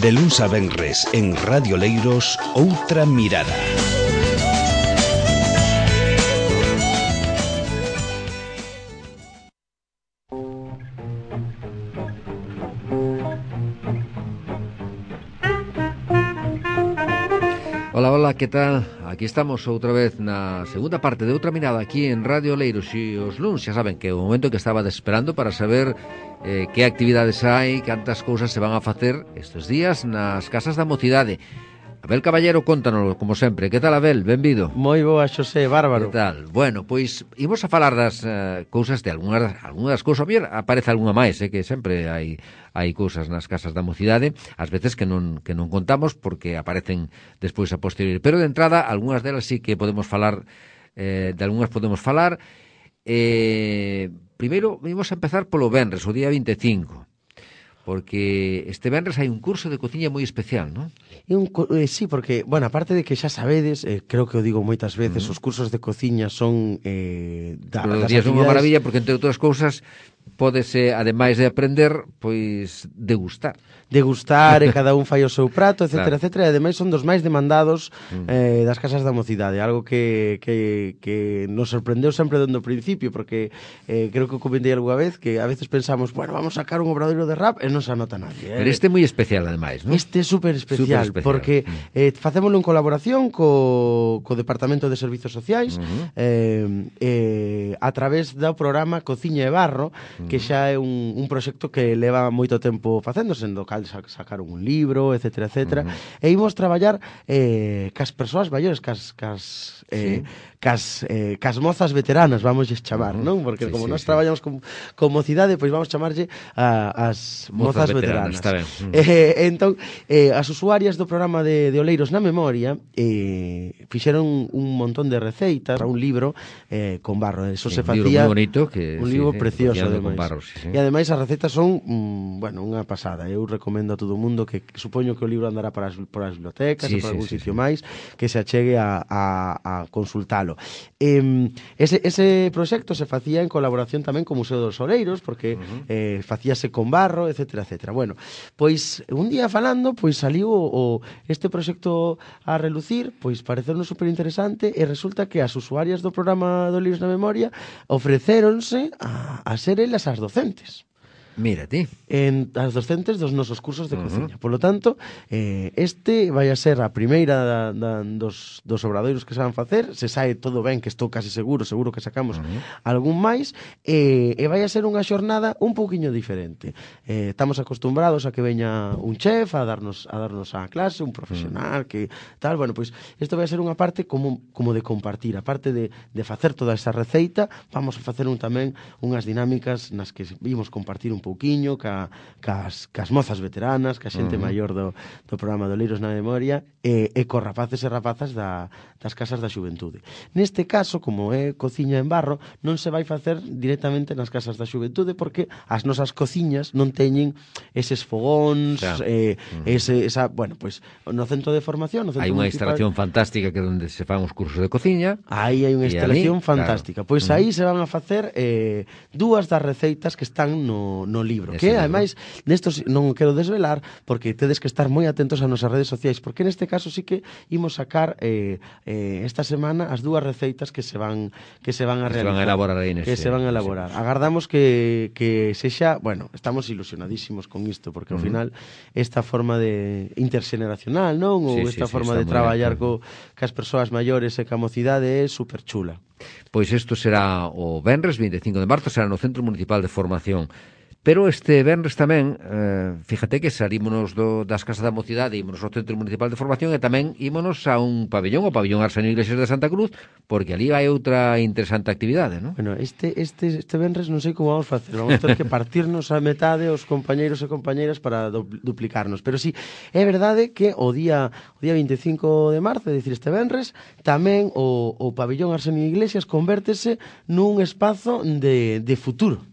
De luns a venres en Radio Leiros, Outra Mirada. Hola, hola, que tal? Aquí estamos outra vez na segunda parte de Outra Mirada aquí en Radio Leiros e os luns. Xa saben que é o momento que estaba esperando para saber que actividades hai, cantas cousas se van a facer estes días nas casas da mocidade. Abel Caballero, contanos, como sempre. Que tal, Abel? Benvido. Moi boa, Xosé, bárbaro. Que tal? Bueno, pois imos a falar das cousas de algunhas das cousas. A ver, aparece algunha máis, que sempre hai cousas nas casas da mocidade, ás veces que non contamos porque aparecen despois a posteriori. Pero de entrada, algunhas delas sí que podemos falar, de algunhas podemos falar. Primeiro, imos a empezar polo venres, o día 25. Porque este venres hai un curso de cociña moi especial, non? Sí, porque, bueno, aparte de que xa sabedes, creo que o digo moitas veces, os cursos de cociña son das actividades... unha maravilla, porque entre outras cousas pódese, ademais de aprender, pois degustar. Degustar, e cada un fai o seu prato, etcétera, claro. etcétera, e ademais son dos máis demandados das casas da mocidade, algo que nos sorprendeu sempre dende o principio, porque creo que o comentei algunha vez, que a veces pensamos, bueno, vamos a sacar un obradoiro de rap e non se anota nadie. Pero este é moi especial, ademais, non? Este é super especial, porque facémolo en colaboración co Departamento de Servizos Sociais, a través do programa Cociña e Barro, que xa é un proxecto que leva moito tempo facéndose, en do cal sacaron un libro, etcétera, etcétera, e imos traballar cas persoas maiores, cas mozas veteranas, vamos chamar, non? Porque como nós traballamos con mocidade, pois vamos chamarlle as mozas veteranas. Está ben. Entón, as usuarias do programa de Oleiros na Memoria fixeron un montón de receitas para un libro con barro. Eso se facía... Un libro moi bonito, un libro precioso, ademais. Barro, E ademais as receitas son, bueno, unha pasada. Eu recomendo a todo o mundo que supoño que o libro andará por as bibliotecas e por algún sitio máis, que se achegue a consultalo. Ese proxecto se facía en colaboración tamén co Museo dos Oleiros, porque facíase con barro, etcétera, etcétera. Bueno, pois un día falando, pois saliu este proxecto a relucir, pois parecernos super interesante, e resulta que as usuarias do programa do Oleiros na Memoria ofrecéronse a ser elas as docentes. Mira ti. As docentes dos nosos cursos de cociña. Por lo tanto, este vai a ser a primeira dos obradoiros que se van facer. Se sae todo ben, que estou casi seguro que sacamos algún máis, e vai a ser unha xornada un pouquiño diferente. Estamos acostumbrados a que veña un chef a darnos a clase, un profesional, que tal. Bueno, pois isto vai a ser unha parte como de compartir. A parte de facer toda esa receita, vamos a facer tamén unhas dinámicas nas que vimos compartir un pouquiño cas mozas veteranas, ca xente maior do programa de Oleiros na Memoria, e cos rapaces e rapazas das casas da xuventude. Neste caso, como é cociña en barro, non se vai facer directamente nas casas da xuventude, porque as nosas cociñas non teñen eses fogóns, bueno, pois no centro de formación, hai unha instalación fantástica que é onde se fan os cursos de cociña. Aí hai unha instalación fantástica. Pois aí se van a facer dúas das receitas que están no libro, que ademais nestos non quero desvelar porque tedes que estar moi atentos a nosas redes sociais, porque neste caso sí que imos sacar esta semana as dúas receitas que se van a realizar, se van a elaborar aí que se van a elaborar. Agardamos que sexa, bueno, estamos ilusionadísimos con isto, porque ao final esta forma de interxeneracional, non? Ou esta forma de traballar cas persoas maiores e ca mocidade é super chula. Pois isto será o venres 25 de marzo, será no Centro Municipal de Formación. Pero este venres tamén, fíjate que sarímonos das casas da mocidade, ímonos ao Centro Municipal de Formación e tamén ímonos a un pabellón, o pabellón Arsenio Iglesias de Santa Cruz, porque ali hai outra interesante actividade, non? Bueno, este venres non sei como vamos facer, vamos ter que partirnos a metade os compañeiros e compañeiras para duplicarnos, pero sí, é verdade que o día 25 de marzo, é dicir, este venres, tamén o pabellón Arsenio Iglesias convértese nun espazo de futuro.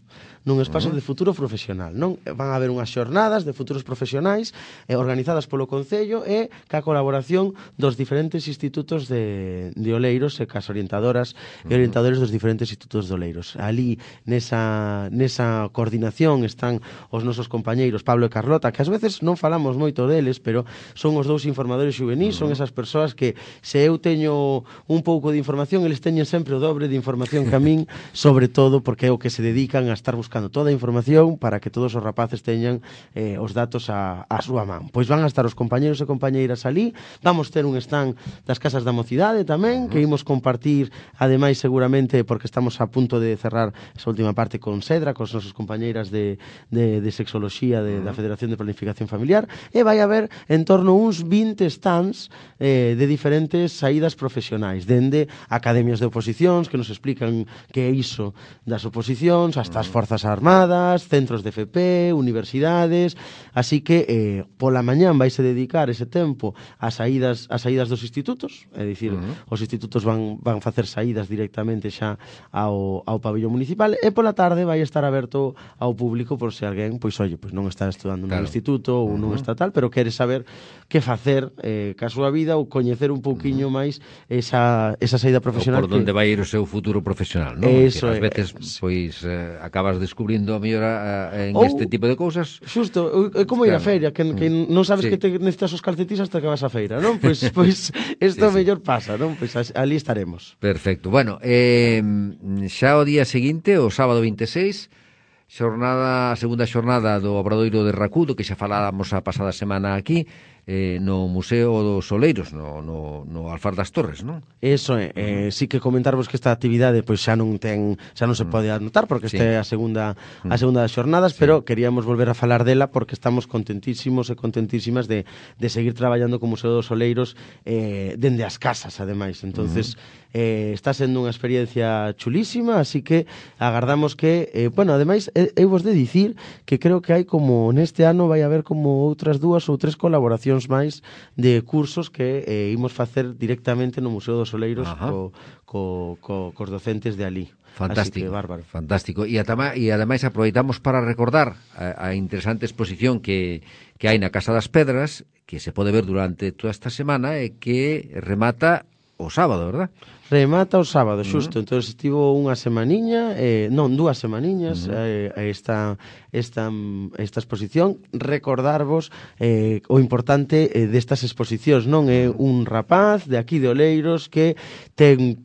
nun espazo de futuro profesional, non? Van a haber unhas xornadas de futuros profesionais organizadas polo Concello e ca colaboración dos diferentes institutos de Oleiros e cas orientadoras e orientadores dos diferentes institutos de Oleiros. Ali, nesa coordinación están os nosos compañeiros Pablo e Carlota, que ás veces non falamos moito deles, pero son os dous informadores xuvenís, son esas persoas que se eu teño un pouco de información, eles teñen sempre o dobre de información que a min, sobre todo porque é o que se dedican a estar buscando toda a información para que todos os rapaces teñan os datos a súa man. Pois van a estar os compañeros e compañeiras ali, vamos ter un stand das Casas da Mocidade tamén, que imos compartir, ademais seguramente, porque estamos a punto de cerrar esa última parte con Sedra, cos nosos compañeiras de sexoloxía da Federación de Planificación Familiar, e vai haber en torno a uns 20 stands de diferentes saídas profesionais, dende academias de oposicións que nos explican que é iso das oposicións, hasta as Forzas Armadas, centros de FP, universidades, así que pola mañán vaise dedicar ese tempo ás saídas dos institutos, é dicir, os institutos van facer saídas directamente xa ao pabellón municipal, e pola tarde vai estar aberto ao público por se alguén, pois oye, pois non está estudando nun instituto ou nun estatal, pero quere saber que facer ca súa vida ou coñecer un pouquiño máis esa saída profesional. Ou por onde vai ir o seu futuro profesional, non? Eso Ás veces, pois, acabas descubrindo a mellor en este tipo de cousas. Xusto, é como ir á feira, que non sabes que te necesitas os calcetís hasta que vas á feira, non? Pois isto mellor pasa, non? Pois ali estaremos. Perfecto. Bueno, xa o día seguinte, o sábado 26, a segunda xornada do Obradoiro de Racudo, que xa faláramos a pasada semana aquí, no Museo dos Oleiros, no Alfar das Torres, non? Eso é, sí que comentarvos que esta actividade pois xa non se pode anotar porque esta é a segunda das xornadas, pero queríamos volver a falar dela porque estamos contentísimos e contentísimas de seguir traballando co Museo dos Oleiros dende as casas, ademais. Entonces, está sendo unha experiencia chulísima, así que agardamos que, ademais, eu vos de dicir que creo que hai como, neste ano vai haber como outras 2 ou 3 colaboracións máis de cursos que imos facer directamente no Museo dos Oleiros cos docentes de ali. Fantástico, bárbaro. Fantástico. E ademais aproveitamos para recordar a interesante exposición que hai na Casa das Pedras, que se pode ver durante toda esta semana e que remata o sábado, verdad? Remata o sábado, xusto. Entón estivo unha semaniña, 2 semaniñas esta exposición. Recordarvos o importante destas exposicións, non? É un rapaz de aquí de Oleiros que ten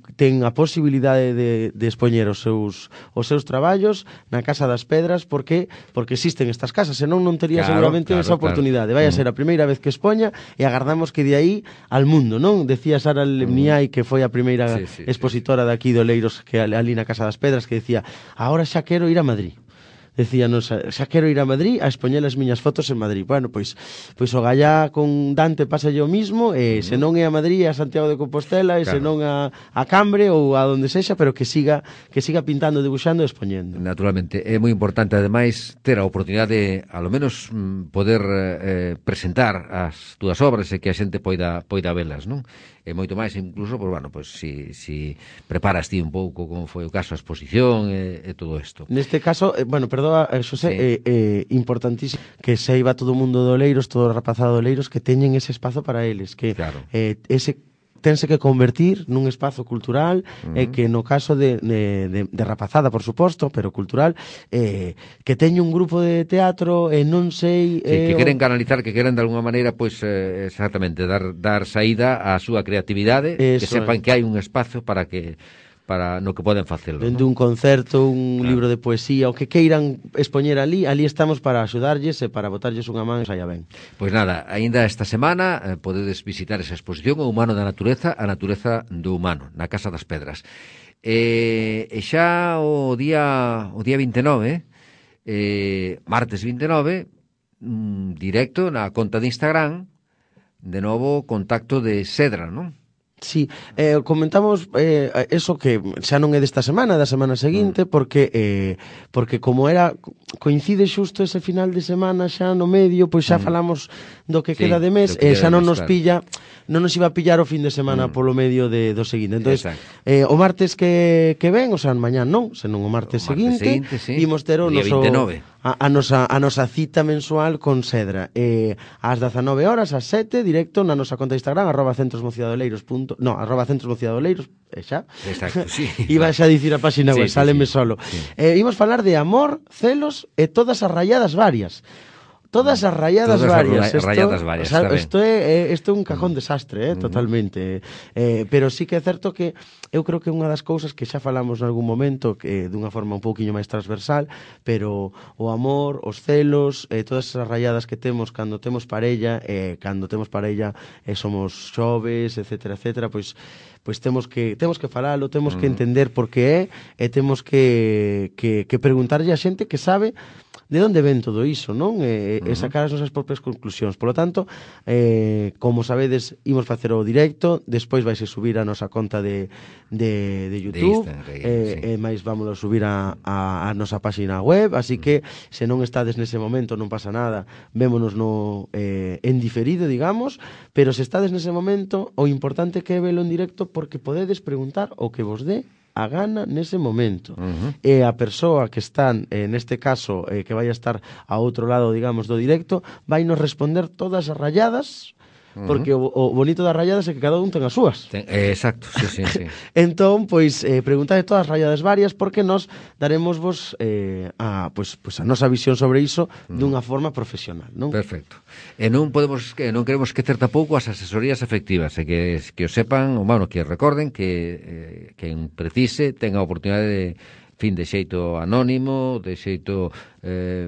a posibilidade de expoñer os seus traballos na Casa das Pedras porque existen estas casas, senón non tería seguramente esa oportunidade. Vai a ser a primeira vez que expoña e agardamos que de aí al mundo, non? Decía Sara Lemniai, que foi a primeira expositora de aquí de Oleiros, que ali na Casa das Pedras, que decía, ahora xa quero ir a Madrid. Decíanos, xa quero ir a Madrid a expoñer as miñas fotos en Madrid. Bueno, pois o gallá con Dante pasa yo mismo, se non é a Madrid, é a Santiago de Compostela, e se non a Cambre ou a donde sexa, pero que siga pintando, debuxando e expoñendo. Naturalmente, é moi importante, ademais, ter a oportunidade de, ao menos, poder presentar as túas obras e que a xente poida velas, non? E moito máis, incluso, si preparas ti un pouco como foi o caso a exposición e todo isto. Neste caso, perdoa, Xosé, importantísimo que se iba todo o mundo de Oleiros, todo o rapazado de Oleiros, que teñen ese espazo para eles, que ese tense que convertir nun espazo cultural e que no caso de rapazada, por suposto, pero cultural, que teña un grupo de teatro e non sei... que queren canalizar, que queren de alguna maneira, pois, exactamente, dar saída á súa creatividade, que sepan que hai un espazo para no que poden facelo. Dende un concerto, un libro de poesía, o que queiran expoñer ali estamos para axudarlles e para botarlles unha man e saia ben. Pois nada, aínda esta semana podedes visitar esa exposición, O humano da natureza, a natureza do humano, na Casa das Pedras. E xa o día 29, martes 29, directo na conta de Instagram, de novo contacto de Sedra, non? Sí, comentamos eso que xa non é desta semana, da semana seguinte, porque como coincide xusto ese final de semana xa no medio, pois xa falamos do que queda de mes, xa non nos pilla, non nos iba a pillar o fin de semana polo medio do seguinte. Entonces, o martes que ven, o sea, mañán non, senón o martes seguinte, imos ter o noso 29. A nosa cita mensual con Sedra, ás 19 horas, ás 7, directo na nosa conta de Instagram, @centrosmociadoleiros. No, @centrosmociadoleiros, xa. Exacto, sí. Iba xa a dicir a páxina web, sáleme solo. Imos falar de amor, celos e todas as rayadas varias. Todas as rayadas varias. O sea, isto é un cajón desastre, totalmente. Pero sí que é certo que eu creo que unha das cousas que xa falamos en algún momento, que dunha forma un pouquiño máis transversal, pero o amor, os celos, todas esas rayadas que temos cando temos parella, somos xoves, etcétera, etcétera, pois temos que falalo, temos que entender por que é, e temos que preguntarlle a xente que sabe de onde ven todo iso, non? E sacar as nosas propias conclusións. Por lo tanto, como sabedes, imos facer o directo, despois vaise subir a nosa conta de YouTube, e máis vámonos a subir a nosa páxina web, así que se non estades nese momento non pasa nada, vémonos en diferido, digamos, pero se estades nese momento, o importante que é velo en directo, porque podedes preguntar o que vos dé a gana nese momento. E a persoa que está, neste caso, que vai a estar a outro lado, digamos, do directo, vai nos responder todas as rayadas, porque o bonito das rayadas é que cada un ten as súas. Exacto, sí. Entón, pois, preguntade todas as rayadas varias, porque nos daremos vos a nosa visión sobre iso dunha forma profesional, non? Perfecto. E non queremos esquecer tampouco as asesorías efectivas, e que o sepan, que recorden que quen precise tenga a oportunidade de xeito anónimo, de xeito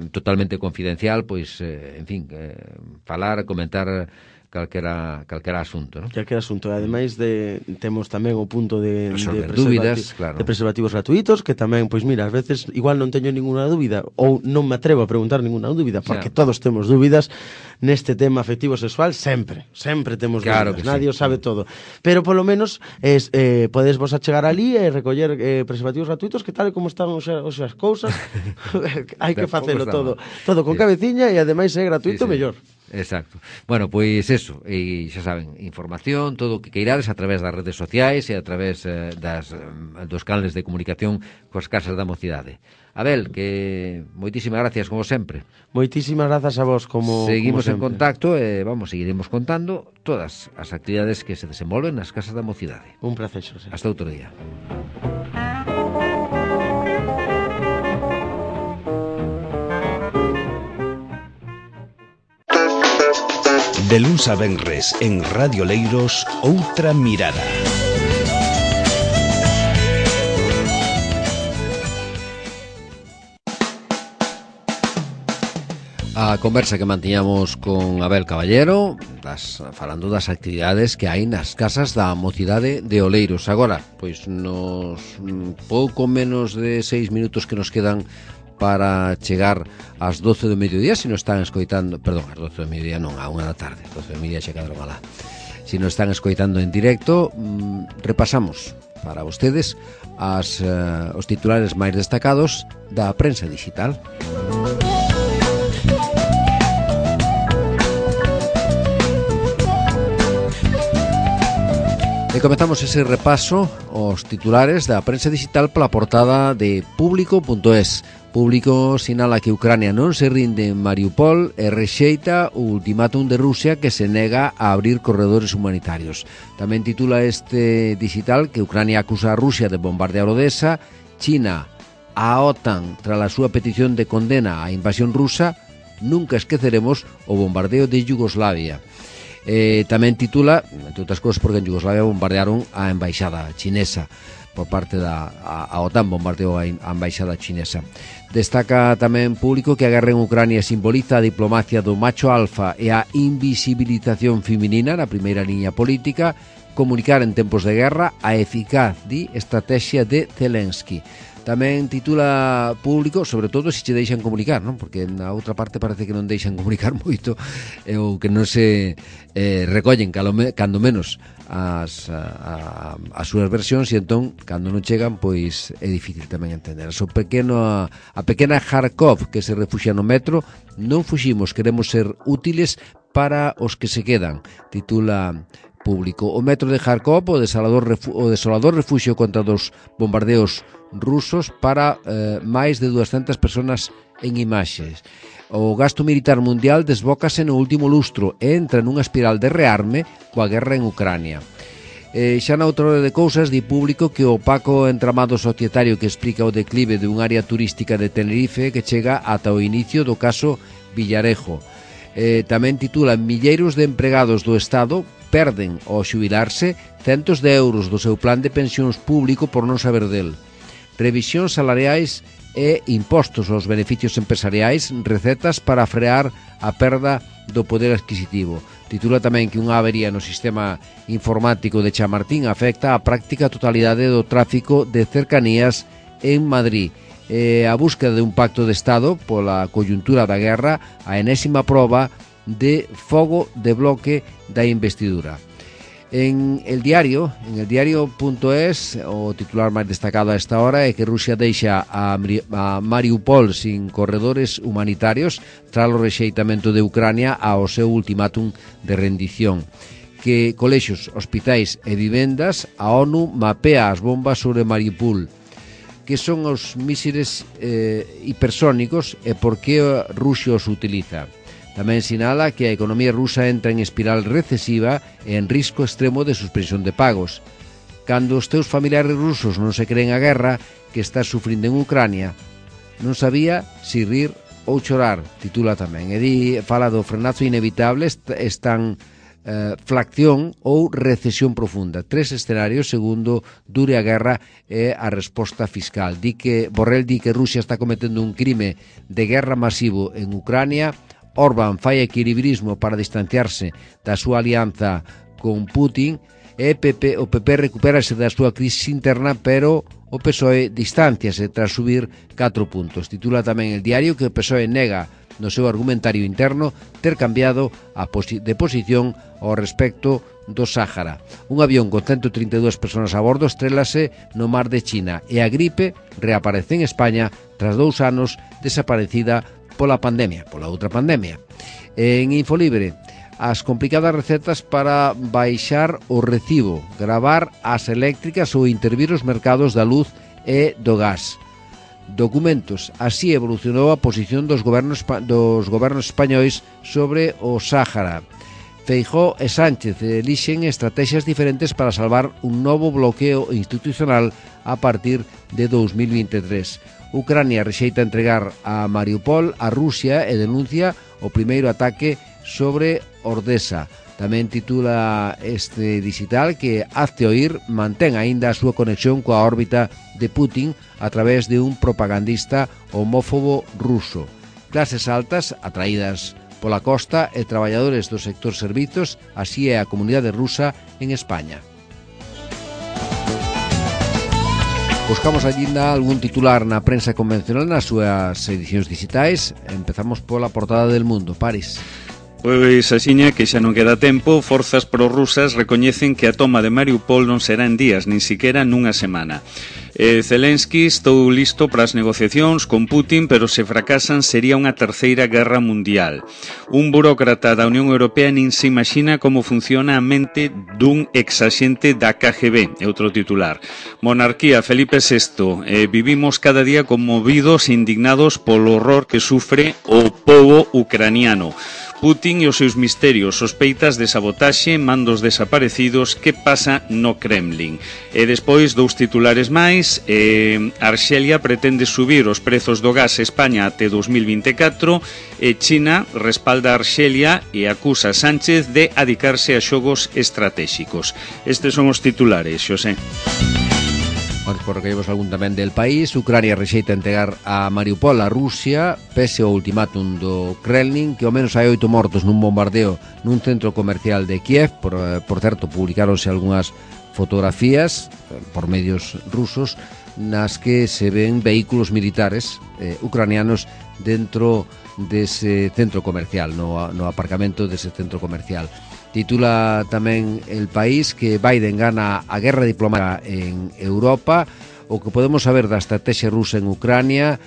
totalmente confidencial, pois, falar, comentar calquera asunto, non? Calquera asunto. Ademais temos tamén o punto de dúbidas, claro, de preservativos gratuitos, que tamén, pois mira, ás veces igual non teño ninguna dúbida, ou non me atrevo a preguntar ninguna dúbida, porque todos temos dúbidas neste tema afectivo sexual, sempre temos dúbidas, nadie o sabe todo. Pero polo menos podes vos achegar ali e recoller preservativos gratuitos, que tal e como están as cousas, hai que facelo todo con cabeciña, e ademais é gratuito, mellor. Exacto. Bueno, pois eso, e xa saben, información, todo o que queirades a través das redes sociais e a través dos canales de comunicación coas casas da mocidade. Abel, que moitísimas gracias como sempre. Moitísimas grazas a vos Seguimos como en contacto e seguiremos contando todas as actividades que se desenvolven nas casas da mocidade. Un placer, Xosé. Hasta outro día. De luns a venres en Radio Leiros, Outra Mirada. A conversa que mantiñamos con Abel Caballero, falando das actividades que hai nas casas da mocidade de Oleiros. Agora, pois nos pouco menos de 6 minutos que nos quedan para chegar ás 12 do mediodía, se nos están escoitando, perdón, ás 12 do mediodía non, a 1 da tarde, 12 do mediodía xa quedaron alá. Se nos están escoitando en directo, repasamos para vostedes os titulares máis destacados da prensa digital. E comezamos ese repaso aos titulares da prensa digital pola portada de Público.es. Público sinala que Ucrania non se rinde en Mariupol e rexeita o ultimátum de Rusia que se nega a abrir corredores humanitarios. Tamén titula este digital que Ucrania acusa a Rusia de bombardear Odessa, China a OTAN tras a súa petición de condena á invasión rusa, nunca esqueceremos o bombardeo de Yugoslavia. Tamén titula, entre outras cousas, porque en Yugoslavia bombardearon a embaixada chinesa por parte a OTAN, bombardeou a embaixada chinesa. Destaca tamén Público que a guerra en Ucrania simboliza a diplomacia do macho alfa e a invisibilización feminina na primeira liña política, comunicar en tempos de guerra a eficaz estrategia de Zelensky. Tamén titula Público, sobre todo se che deixan comunicar, non? Porque na outra parte parece que non deixan comunicar moito, ou que non se recollen cando menos as súas versións, e entón, cando non chegan, pois é difícil tamén entender. A pequena Kharkov que se refuxia no metro: non fuximos, queremos ser útiles para os que se quedan, titula Público. O metro de Kharkov, o desolador refuxio contra dos bombardeos rusos, para máis de 200 personas en imaxes. O gasto militar mundial desbócase no último lustro e entra nunha espiral de rearme coa guerra en Ucrania. Xa na outra hora de cousas, di Público que o opaco entramado societario que explica o declive dun área turística de Tenerife que chega ata o inicio do caso Villarejo. Tamén titula: milleiros de empregados do Estado perden ao xubilarse centos de euros do seu plan de pensións público por non saber del. Revisións salariais e impostos aos beneficios empresariais, recetas para frear a perda do poder adquisitivo. Titula tamén que unha avería no sistema informático de Chamartín afecta a práctica totalidade do tráfico de cercanías en Madrid. A búsqueda de un pacto de Estado pola coyuntura da guerra, a enésima proba de fogo de bloque da investidura. En el diario.es, o titular máis destacado a esta hora é que Rusia deixa a Mariupol sin corredores humanitarios tras o rexeitamento de Ucrania ao seu ultimátum de rendición. Que colexios, hospitais e vivendas, a ONU mapea as bombas sobre Mariupol. Que son os mísiles hipersónicos e por que Rusia os utiliza. Tamén sinala que a economía rusa entra en espiral recesiva e en risco extremo de suspensión de pagos. Cando os teus familiares rusos non se creen a guerra que estás sufrindo en Ucrania, non sabía si rir ou chorar, titula tamén. E fala do frenazo inevitable, flacción ou recesión profunda. 3 escenarios segundo dure a guerra e a resposta fiscal. Borrell di que Rusia está cometendo un crime de guerra masivo en Ucrania. Orbán fai equilibrismo para distanciarse da súa alianza con Putin, e o PP recupérase da súa crise interna, pero o PSOE distanciase tras subir 4 puntos. Titula tamén el diario que o PSOE nega no seu argumentario interno ter cambiado de posición ao respecto do Sáhara. Un avión con 132 persoas a bordo estrélase no mar de China e a gripe reaparece en España tras 2 anos desaparecida pola outra pandemia. En Infolibre, as complicadas recetas para baixar o recibo, gravar as eléctricas ou intervir os mercados da luz e do gas. Documentos, así evolucionou a posición dos gobernos españois sobre o Sáhara. Feijóo e Sánchez elixen estrategias diferentes para salvar un novo bloqueo institucional a partir de 2023. Ucrania rexeita entregar a Mariupol a Rusia e denuncia o primeiro ataque sobre Ordesa. Tamén titula este digital que Hazte Oír mantén aínda a súa conexión coa órbita de Putin a través de un propagandista homófobo ruso. Clases altas atraídas pola costa e traballadores do sector servizos, así é a comunidade rusa en España. Buscamos ainda algún titular na prensa convencional nas súas edicións digitais. Empezamos pola portada del Mundo. París. Pois axiña que xa non queda tempo, forzas prorrusas recoñecen que a toma de Mariupol non será en días, nin siquiera nunha semana. Zelensky estou listo para as negociacións con Putin, pero se fracasan sería unha terceira guerra mundial. Un burócrata da Unión Europea nin se imagina como funciona a mente dun exaxente da KGB, é outro titular. Monarquía, Felipe VI, vivimos cada día conmovidos e indignados polo horror que sufre o pobo ucraniano. Putin e os seus misterios, sospeitas de sabotaxe, mandos desaparecidos, que pasa no Kremlin. E despois, 2 titulares máis, Arxelia pretende subir os prezos do gas a España até 2024, e China respalda a Arxelia e acusa a Sánchez de adicarse a xogos estratégicos. Estes son os titulares, Xosé. Por que vemos algún tamén del país. Ucrania rexeita entregar a Mariupol a Rusia pese ao ultimátum do Kremlin, que ao menos hai 8 mortos nun bombardeo nun centro comercial de Kiev. Por certo, publicaronse algunhas fotografías por medios rusos nas que se ven vehículos militares ucranianos dentro dese centro comercial, no aparcamento dese centro comercial. Titula tamén El País que Biden gana a guerra diplomática en Europa. O que podemos saber da estrategia rusa en Ucrania,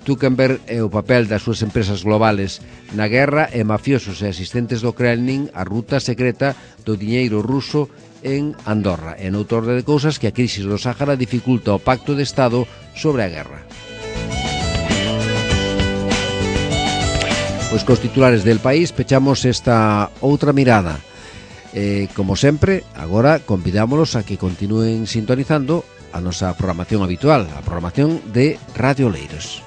Zuckerberg e o papel das súas empresas globales na guerra e mafiosos e asistentes do Kremlin a ruta secreta do diñeiro ruso en Andorra. E noutra orde de cousas que a crise do Sáhara dificulta o pacto de Estado sobre a guerra. Pois cos titulares del País pechamos esta outra mirada. Como sempre, agora convidámolos a que continúen sintonizando a nosa programación habitual, a programación de Radio Oleiros.